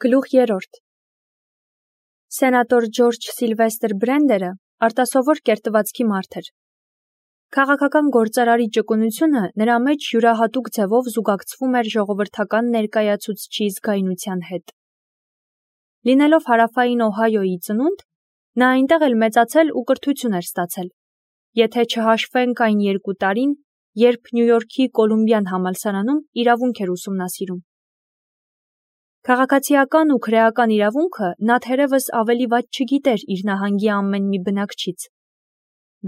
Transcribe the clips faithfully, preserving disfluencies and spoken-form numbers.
Գլուխ երրորդ Սենատոր Ջորջ Սիլվեստր Բրենդերը արտասովոր կերտվածքի մարդ էր։ Քաղաքական գործարարի ճկունությունը նրա մեջ յուրահատուկ ձևով զուգակցվում էր ժողովրդական ներկայացուցչի զգայունության հետ։ Լինելով հարավային Օհայոյի ծնունդ, նա այնտեղ էլ մեծացել ու կրթություն էր ստացել, եթե չհաշվենք այն երկու տարին, երբ Նյու Յորքի Կոլումբյան համալսարանում իրավունք էր ուսումնասիրում։ Քաղաքացիական ու քրեական իրավունքը նա թերևս ավելի վատ չգիտեր իր նահանգի ամեն մի բնակչից,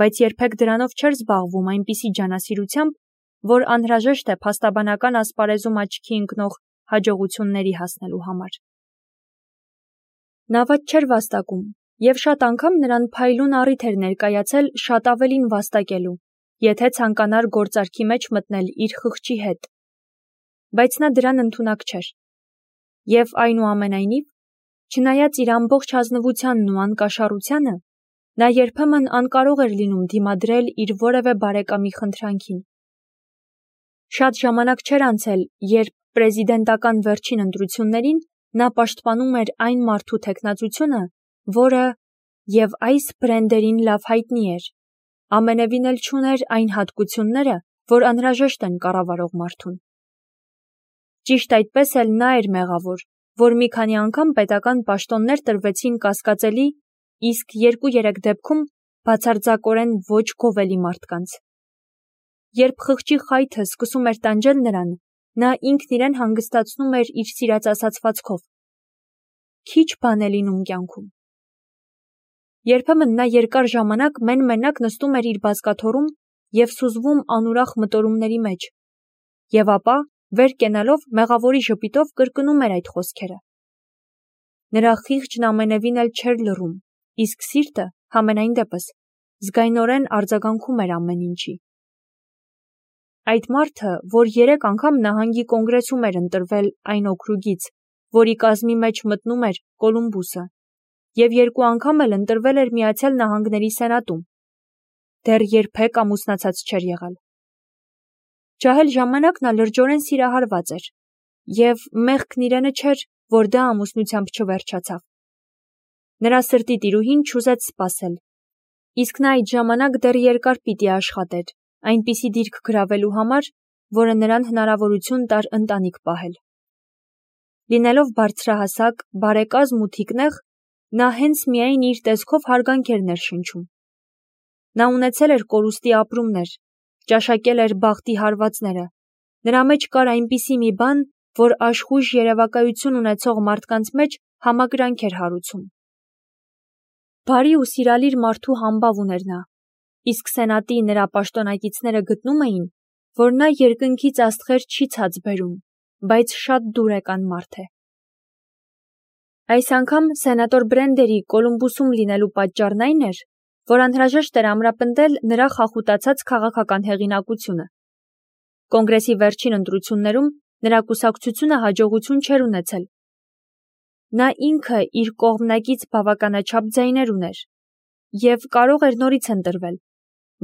բայց երբեք դրանով չէր զբաղվում այնպիսի ջանասիրությամբ, որ անհրաժեշտ է փաստաբանական ասպարեզում աչքի ընկնող հաջողությունների հասնելու համար։ Նա վատ չէր վաստակում, և շատ անգամ նրան փայլուն առիթ էր ներկայացել շատ ավելին վաստակելու, եթե ցանկանար գործարքի մեջ մտնել իր խղճի հետ, բայց նա դրան ընդունակ չէր։ Եվ այնուամենայնիվ, չնայած իր ամբողջ ազնվությանն ու անկաշառությանը, նա երբեմն անկարող էր լինում դիմադրել իր որևէ բարեկամի խնդրանքին։ Շատ ժամանակ չէր անցել, երբ պրեզիդենտական վերջին ընտրություններին նա պաշտպանում էր այն մարդու թեկնածությունը, որը, և այս Բրենդերին լավ հայտնի էր, ամենևին էլ չուներ այն հատկությունները, որ անհրաժեշտ են կառավարող մարդուն։ Ճիշտ այդպես էլ նա էր մեղավոր, որ մի քանի անգամ պետական պաշտոններ տրվեցին կասկածելի, իսկ երկու-երեք դեպքում բացարձակորեն ոչ գովելի մարդկանց։ Երբ խղճի խայթը սկսում էր տանջել նրան, նա ինքն իրեն հանգստացնում էր իր սիրած ասացվածքով. «Քիչ բան է լինում կյանքում»։ Երբեմն նա երկար ժամանակ մեն-մենակ նստում էր իր բազկաթոռում և սուզվում անուրախ մտորումների մեջ, և ապա, վեր կենալով, մեղավորի ժպիտով կրկնում էր այդ խոսքերը։ Նրա խիղճն ամենևին էլ չէր լռում, իսկ սիրտը, համենայն դեպս, զգայնորեն արձագանքում էր ամեն ինչի։ Այդ մարդը, որ երեք անգամ նահանգի կոնգրեսում էր ընտրվել այն օքրուգից, որի կազմի մեջ մտնում էր Կոլումբուսը, և երկու անգամ էլ ընտրվել էր Միացյալ Նահանգների Սենատում, դեռ երբեք ամուսնացած չէր եղել։ Ջահել ժամանակ նա լրջորեն սիրահարված էր, և մեղքն իրենը չէր, որ դա ամուսնությամբ չվերջացավ։ Նրա սրտի տիրուհին չուզեց սպասել, իսկ նա այդ ժամանակ դեռ երկար պիտի աշխատեր, այնպիսի դիրք գրավելու համար, որը նրան հնարավորություն տար ընտանիք պահել։ Լինելով բարձրահասակ, բարեկազմ ու թիկնեղ, նա հենց միայն իր տեսքով հարգանք էր ներշնչում։ Նա ունեցել էր կորուստի ապրումներ, ճաշակել էր բախտի հարվածները, նրա մեջ կար այնպիսի մի բան, որ աշխույժ երևակայություն ունեցող մարդկանց մեջ համակրանք էր հարուցում։ Բարի ու սիրալիր մարդու համբավ ուներ նա, իսկ սենատի նրա պաշտոնակիցները գտնում էին, որ նա երկնքից աստղեր չի ցած բերում, բայց շատ դուրեկան մարդ է։ Այս անգամ սենատոր Բրենդերի Կոլումբուսում լինելու պատճառն այն էր, որ անհրաժեշտ էր ամրապնդել նրա խախուտացած քաղաքական հեղինակությունը։ Կոնգրեսի վերջին ընտրություններում նրա կուսակցությունը հաջողություն չէր ունեցել։ Նա ինքը իր կողմնակից բավականաչափ ձայներ ուներ և կարող էր նորից ընտրվել,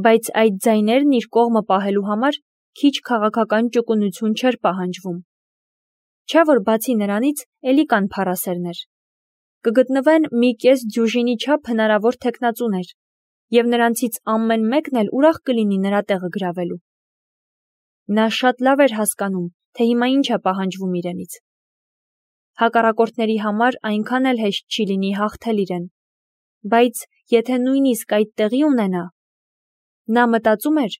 բայց այդ ձայներն իր կողմը պահելու համար քիչ քաղաքական ճկունություն չէր պահանջվում։ Չէ՞ որ բացի նրանից էլի կան փառասերներ։ Կգտնվեն մի կես դյուժինի չափ հնարավոր թեկնածուներ, և նրանցից ամեն մեկն էլ ուրախ կլինի նրա տեղը գրավելու։ Նա շատ լավ էր հասկանում, թե հիմա ինչ է պահանջվում իրենից։ Հակառակորդների համար այնքան էլ հեշտ չի լինի հաղթել իրեն, բայց եթե նույնիսկ այդ տեղի ունենա, նա մտածում էր,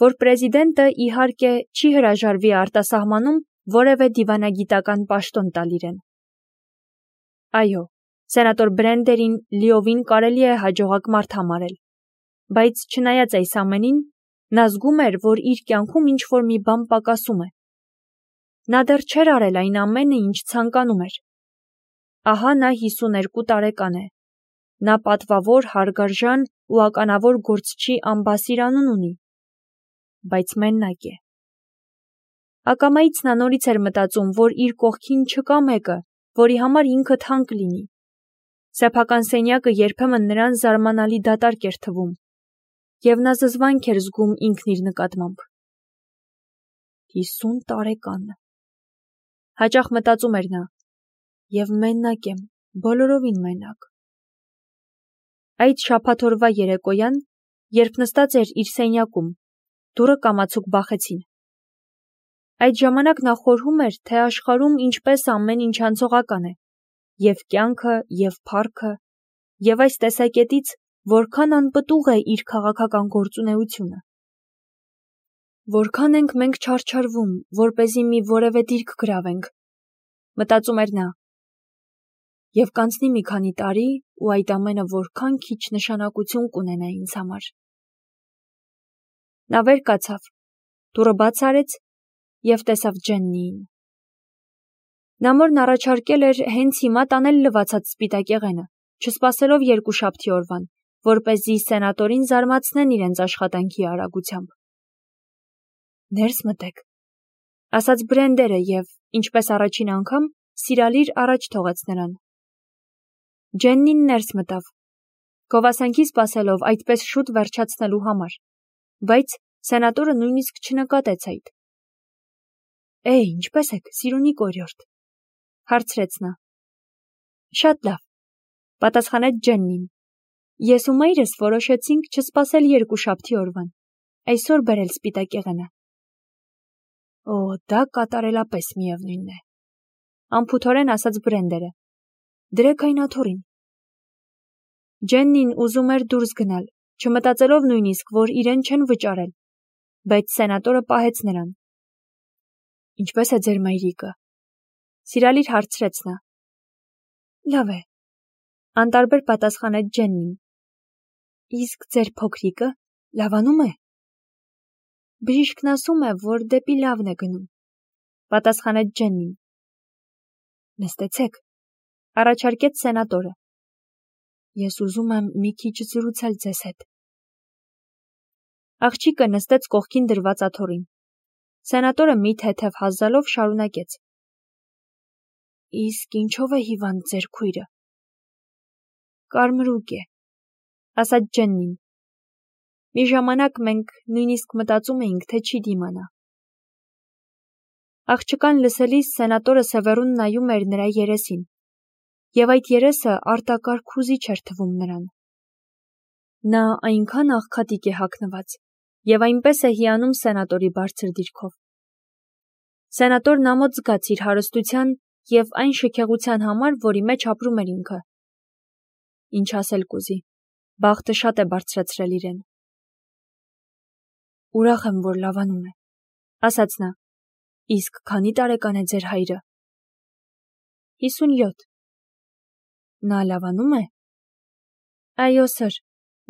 որ պրեզիդենտը իհարկե չի հրաժարվի արտասահմանում որևէ դիվանագիտական պաշտոն տալ իրեն։ Այո, սենատոր Բրենդերին լիովին կարելի է հաջողակ մարդ համարել, բայց չնայած այս ամենին, նա զգում էր, որ իր կյանքում ինչ-որ մի բան պակասում է։ Նա դեռ չէր արել այն ամենը, ինչ ցանկանում էր։ Ահա նա հիսուներկու տարեկան է։ Նա պատվավոր, հարգարժան ու ականավոր գործչի ամբասիր անուն ունի, բայց մենակ է։ Ակամայից նա նորից էր մտածում, որ իր կողքին չկա մեկը, որի համար ինքը թանկ լինի։ Սեփական սենյակը երբեմն նրան զարմանալի դատարկ էր թվում, և նա զզվանք էր զգում ինքն իր նկատմամբ։ Հիսուն տարեկան։ Հաճախ մտածում էր նա. և մենակ եմ, բոլորովին մենակ։ Այդ շաբաթօրվա երեկոյան, երբ նստած էր իր սենյակում, դուռը կամացուկ բախեցին։ Այդ ժամանակ նա խորհում էր, թե աշխարհում ինչպես ամեն ինչ անցողական է, և կյանքը, և փառքը, և այս տեսակետից որքան անպտուղ է իր քաղաքական գործունեությունը։ Որքան ենք մենք չարչարվում, որպեսզի մի որևէ դիրք գրավենք, մտածում էր նա։ Եվ կանցնի մի քանի տարի, ու այդ ամենը որքան քիչ նշանակություն կունենա ինձ համար։ Նա վեր կացավ, դուռը բաց արեց և տեսավ Ջեննիին։ Նա մորն առաջարկել էր հենց հիմա տանել լվացած սպիտակեղենը, չսպասելով երկուշաբթի օրվան, որպեսզի սենատորին զարմացնեն իրենց աշխատանքի արագությամբ։ Ներս մտեք, ասաց Բրենդերը և, ինչպես առաջին անգամ, սիրալիր առաջ թողեց նրան։ Ջեննին ներս մտավ, գովասանքի սպասելով այդպես շուտ վերջացնելու համար, բայց սենատորը նույնիսկ չնկատեց այդ։ Է, ինչպե՞ս եք, սիրունի կորյորդ, հարցրեց նա։ Շատ լավ, պատասխանեց Ջեննին։ Ես ու մայրս որոշեցինք չսպասել երկուշաբթի օրվան, այսօր բերել սպիտակեղենը։ Օ, դա կատարելապես միևնույնն է, անփութորեն ասաց Բրենդերը։ Դրեք այն աթոռին։ Ջեննին ուզում էր դուրս գնալ, չմտածելով նույնիսկ, որ իրեն չեն վճարել, բայց սենատորը պահեց նրան։ Ինչպե՞ս է ձեր մայրիկը, սիրալիր հարցրեց նա։ Լավ է, անտարբեր պատասխանեց Ջեննին։ Իսկ ձեր փոքրիկը լավանում է։ Բժիշկն ասում է, որ դեպի լավն է գնում, պատասխանեց Ջեննին։ Նստեցեք, առաջարկեց սենատորը։ Ես ուզում եմ մի քիչ զրուցել ձեզ հետ։ Աղջիկը նստեց կողքին դրված աթոռին։ Սենատորը մի թեթև հազալով շարունակեց։ Իսկ ինչով է հիվանդ ձեր քույրը։ Կարմրուկ է, ասաց Ջեննին։ Մի ժամանակ մենք նույնիսկ մտածում էինք, թե չի դիմանա։ Աղջկան լսելիս սենատորը սևեռուն նայում էր նրա երեսին, և այդ երեսը արտակարգ հուզիչ էր թվում նրան։ Նա այնքան աղքատիկ է հագնված, և այնպես է հիանում սենատորի բարձր դիրքով։ Սենատորն ամոթ զգաց իր հարստության և այն շքեղության համար, որի մեջ ապրում էր ինքը։ Ինչ ասել կուզի, բախտը շատ է բարձրացրել իրեն։ Ուրախ եմ, որ լավանում է, ասաց նա։ Իսկ քանի տարեկան է ձեր հայրը։ հիսունյոթ։ Նա լավանում է։ Այո, սըր,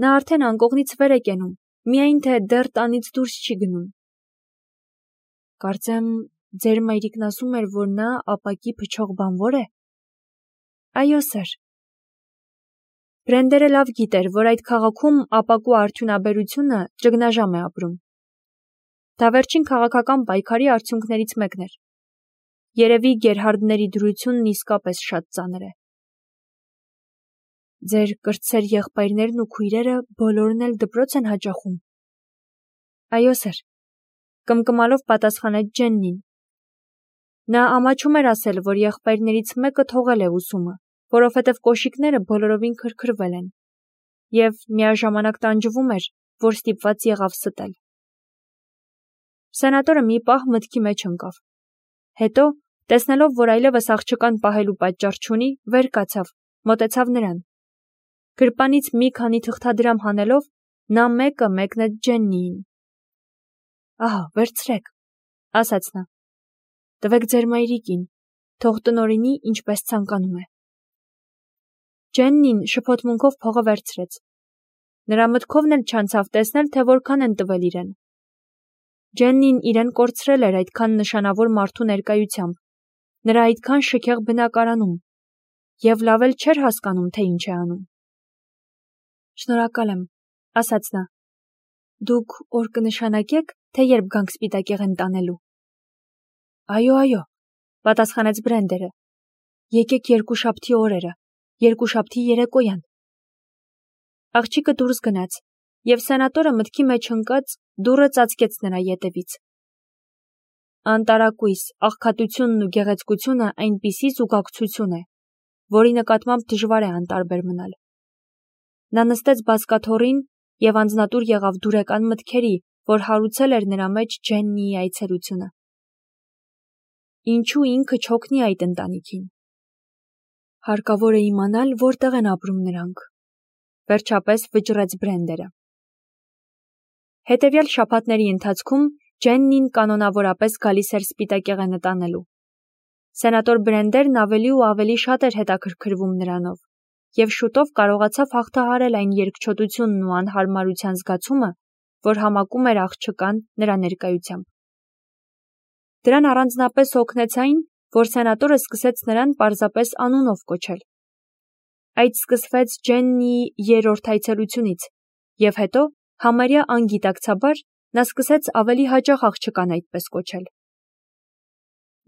նա արդեն անկողնից վեր է կենում, միայն թե դեռ տանից դուրս չի գնում։ Կարծեմ, ձեր մայրիկն ասում էր, որ նա ապակի փչող բանվոր է։ Այո, սըր։ Բրենդերը լավ գիտեր, որ այդ քաղաքում ապակու արդյունաբերությունը ճգնաժամ է ապրում։ Դա վերջին քաղաքական պայքարի արդյունքներից մեկն էր։ Երևի Գերհարդների դրությունն իսկապես շատ ծանր է։ Ձեր կրտսեր եղբայրներն ու քույրերը բոլորն էլ դպրոց են հաճախում։ Այո, սըր, կմկմալով պատասխանեց Ջեննին։ Նա ամաչում էր ասել, որ եղբայրներից մեկը թողել է ուսումը, որովհետև կոշիկները բոլորովին քրքրվել են, և միաժամանակ տանջվում էր, որ ստիպված եղավ ստել։ Սենատորը մի պահ մտքի մեջ ընկավ։ Հետո, տեսնելով, որ այլևս աղջկան պահելու պատճառ չունի, վեր կացավ, մոտեցավ նրան։ Գրպանից մի քանի թղթադրամ հանելով, նա մեկը մեկնեց Ջեննիին։ Ահա, վերցրեք, ասաց նա։ Տվեք ձեր մայրիկին, թող տնօրինի, ինչպես ցանկանում է։ Ջեննին շփոթմունքով փողը վերցրեց։ Նրա մտքովն էլ չանցավ տեսնել, թե որքան են տվել իրեն։ Ջեննին իրեն կորցրել էր այդքան նշանավոր մարդու ներկայությամբ, նրա այդքան շքեղ բնակարանում, և լավ էլ չէր հասկանում, թե ինչ է անում։ Շնորհակալ եմ, ասաց նա։ Դուք օր կնշանակեք, թե երբ գանք սպիտակեղեն տանելու։ Այո, այո, պատասխանեց Բրենդերը։ Եկեք երկուշաբթի օրերը, երկուշաբթի երեկոյան։ Աղջիկը դուրս գնաց, և սենատորը մտքի մեջ ընկած դուռը ծածկեց նրա ետևից։ անտարակույս, աղքատությունն ու գեղեցկությունը այնպիսի զուգակցություն է, որի նկատմամբ դժվար է անտարբեր մնալ։ Նա նստեց բազկաթոռին և անձնատուր եղավ դուրեկան մտքերի, որ հարուցել էր նրա մեջ Ջեննիի այցելությունը։ Ինչու ինքը չօգնի այդ ընտանիքին։ Հարկավոր է իմանալ, որտեղ են ապրում նրանք։ Վերջապես վճռեց Բրենդերը։ Հետևյալ շաբաթների ընթացքում Ջեննին կանոնավորապես գալիս էր սպիտակեղենը տանելու։ Սենատոր Բրենդերն ավելի ու ավելի շատ էր հետաքրքրվում նրանով, և շուտով կարողացավ հաղթահարել այն երկչոտությունն ու անհարմարության զգացումը, որ համակում էր աղջկան նրա ներկայությամբ։ Դրան առանձնապես օգնեց այն, որ սենատորը սկսեց նրան պարզապես անունով կոչել։ Այդ սկսվեց Ջեննիի երրորդ այցելությունից, և հետո, համարյա անգիտակցաբար, նա սկսեց ավելի հաճախ աղջկան այդպես կոչել։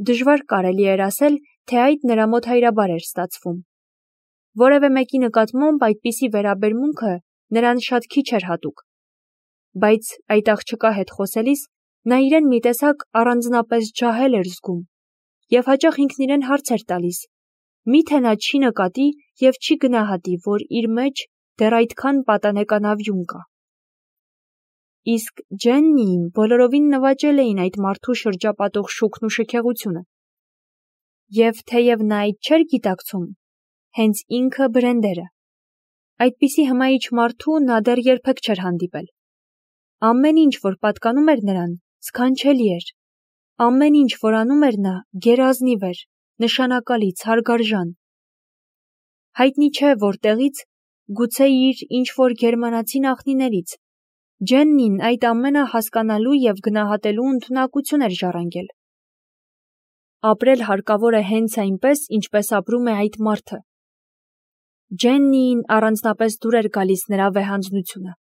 Դժվար կարելի էր ասել, թե այդ նրա մոտ հայրաբար էր ստացվում։ Որևէ մեկի նկատմամբ այդպիսի վերաբերմունքը նրան շատ քիչ էր հատուկ։ Բայց այդ աղջկա հետ խոսելիս նա իրեն մի տեսակ առանձնապես ջահել էր զգում և հաճախ ինքն իրեն հարց էր տալիս. միթե նա չի նկատի և չի գնահատի, որ իր մեջ դեռ այդքան պատանեկանավյուն կա։ Իսկ Ջեննիին բոլորովին նվաճել էին այդ մարդու շրջապատող շուքն ու շքեղությունը։ Եվ թեև նա այդ չէր գիտակցում, հենց ինքը Բրենդերը, այդպիսի հմայիչ մարդու նա դեռ երբեք չէր հանդիպել։ Ամեն ինչ, որ պատկանում էր նրան, սքանչելի էր։ Ամեն ինչ, որ անում էր նա, գերազնիվ էր, նշանակալից, հարգարժան։ Հայտնի չէ որտեղից, գուցե իր ինչ-որ գերմանացի նախնիներից, Ջեննին այդ ամենը հասկանալու և գնահատելու ընդունակություն էր ժառանգել։ Ապրել հարկավոր է հենց այնպես, ինչպես ապրում է այդ մարդը։ Ջեննիին առանձնապես դուր էր գալիս նրա վեհանձնությունը։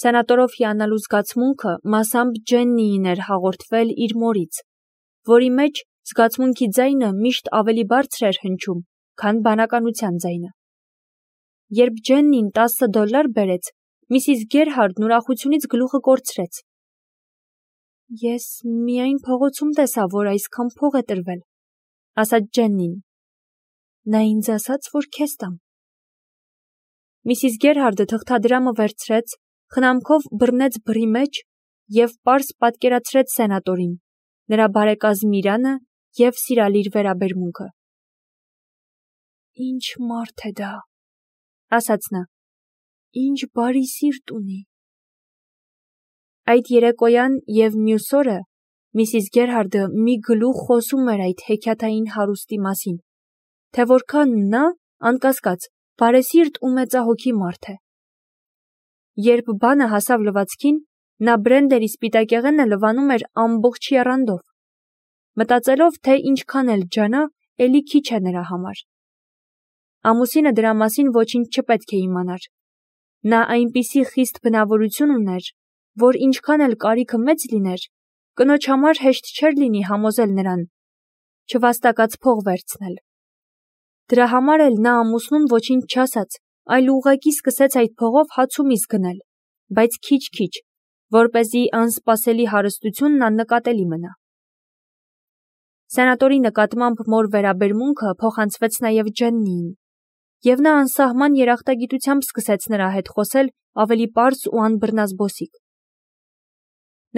Սենատորով հիանալու զգացմունքը մասամբ Ջեննիին էր հաղորդվել իր մորից, որի մեջ զգացմունքի ձայնը միշտ ավելի բարձր էր հնչում, քան բանականության ձայնը։ Երբ Ջեննին տասը դոլար բերեց, Միսիս Գերհարդն ուրախությունից գլուխը կորցրեց։ Ես միայն փողոցում տեսա, որ այսքան փող է տրվել, ասաց Ջեննին։ Նա ինձ ասաց, որ քեզ տամ։ Միսիս Գերհարդը թղթադրամը վերցրեց, խնամքով բռնեց բռի մեջ և պարզ պատկերացրեց սենատորին, նրա բարեկազմ Իրանը և սիրալիր վերաբերմունքը։ Ինչ մարդ է դա, ասաց նա, ինչ բարի սիրտ ունի։ Այդ երեկոյան և մյուս օրը Միսիս Գերհարդը մի գլուխ խոսում էր այդ հեքիաթային հարուստի մասին, թե որքան նա, անկասկած, բարեսիրտ ու մեծահոգի մարդ է։ Երբ բանը հասավ լվացքին, նա Բրենդերի սպիտակեղենը լվանում էր ամբողջ եռանդով, մտածելով, թե ինչքան էլ ջանա, էլի քիչ է նրա համար։ Ամուսինը դրա մասին ոչինչ չպետք է իմանար։ Նա այնպիսի խիստ բնավորություն ուներ, որ ինչքան էլ կարիքը մեծ լիներ, կնոջ համար հեշտ չէր լինի համոզել նրան չվաստակած փող վերցնել։ Դրա համար էլ նա ամուսնուն ոչինչ չասաց, այլ ուղղակի սկսեց այդ փողով հաց ու միս գնել, բայց քիչ-քիչ, որպեսզի անսպասելի հարստությունն աննկատելի մնա։ Սենատորի նկատմամբ մոր վերաբերմունքը փոխանցվեց նաև Ջեննիին, և նա անսահման երախտագիտությամբ սկսեց նրա հետ խոսել ավելի պարզ ու անբռնազբոսիկ։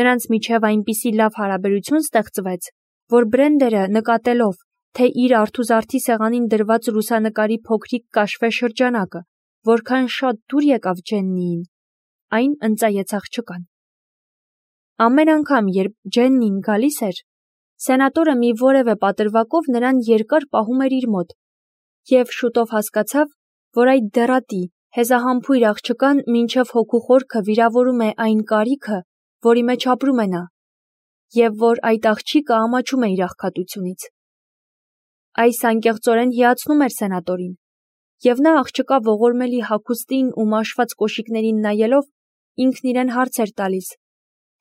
Նրանց միջև այնպիսի լավ հարաբերություն ստեղծվեց, որ Բրենդերը նկատելով, թե իր արթուզարդի սեղանին դրված լուսանկարի փոքրիկ կաշվե շրջանակը որքան շատ դուր եկավ Ջեննիին, այն ընծայեց աղջկան։ Ամեն անգամ, երբ Ջեննին գալիս էր, սենատորը մի որևէ պատրվակով նրան երկար պահում էր իր մոտ, և շուտով հասկացավ, որ այդ դեռատի, հեզահամբույր աղջկան մինչև հոգու խորքը վիրավորում է այն կարիքը, որի մեջ ապրում է նա, և որ այդ աղջիկը ամաչում է իր աղքատությունից։ Այս անկեղծորեն հիացնում էր սենատորին, և նա աղջկա ողորմելի հագուստին ու մաշված կոշիկներին նայելով ինքն իրեն հարց էր տալիս,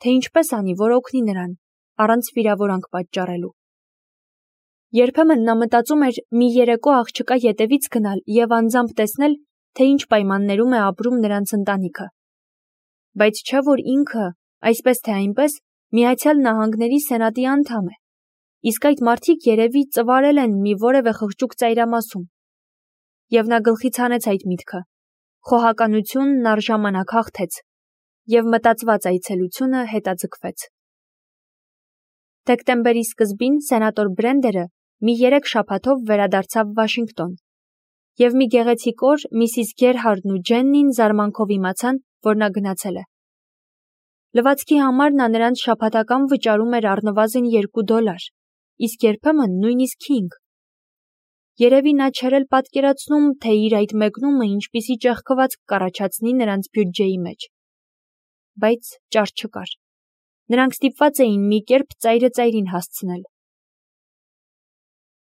թե ինչպես անի, որ օգնի նրան, առանց վիրավորանք պատճառելու։ Երբեմն նա մտածում էր մի երեկո աղջկա ետևից գնալ և անձամբ տեսնել, թե ինչ պայմաններում է ապրում նրանց ընտանիքը։ Բայց չէ՞ որ ինքը, այսպես թե այնպես, Միացյալ Նահանգների Սենատի անդամ է, իսկ այդ մարդիկ երևի ծվարել են մի որևէ խղճուկ ծայրամասում։ Եվ նա գլխից հանեց այդ միտքը, խոհականությունն առժամանակ հաղթեց, և մտածված այցելությունը հետաձգվեց։ Դեկտեմբերի սկզբին սենատոր Բրենդերը մի երեք շաբաթով վերադարձավ Վաշինգտոն, և մի գեղեցիկ օր միսիս Գերհարդն ու Ջեննին զարմանքով իմացան, որ նա գնացել է։ Լվացքի համար նա նրանց շաբաթական վճարում էր առնվազն երկու դոլար, իսկ երբեմն նույնիսկ հինգ։ Երևի նա չէր էլ պատկերացնում, թե իր այդ մեկնումը ինչպիսի ճեղքվածք կառաջացնի նրանց բյուջեի մեջ։ Բայց ճար չկար։ Նրանք ստիպված էին մի կերպ ծայրը ծայրին հասցնել։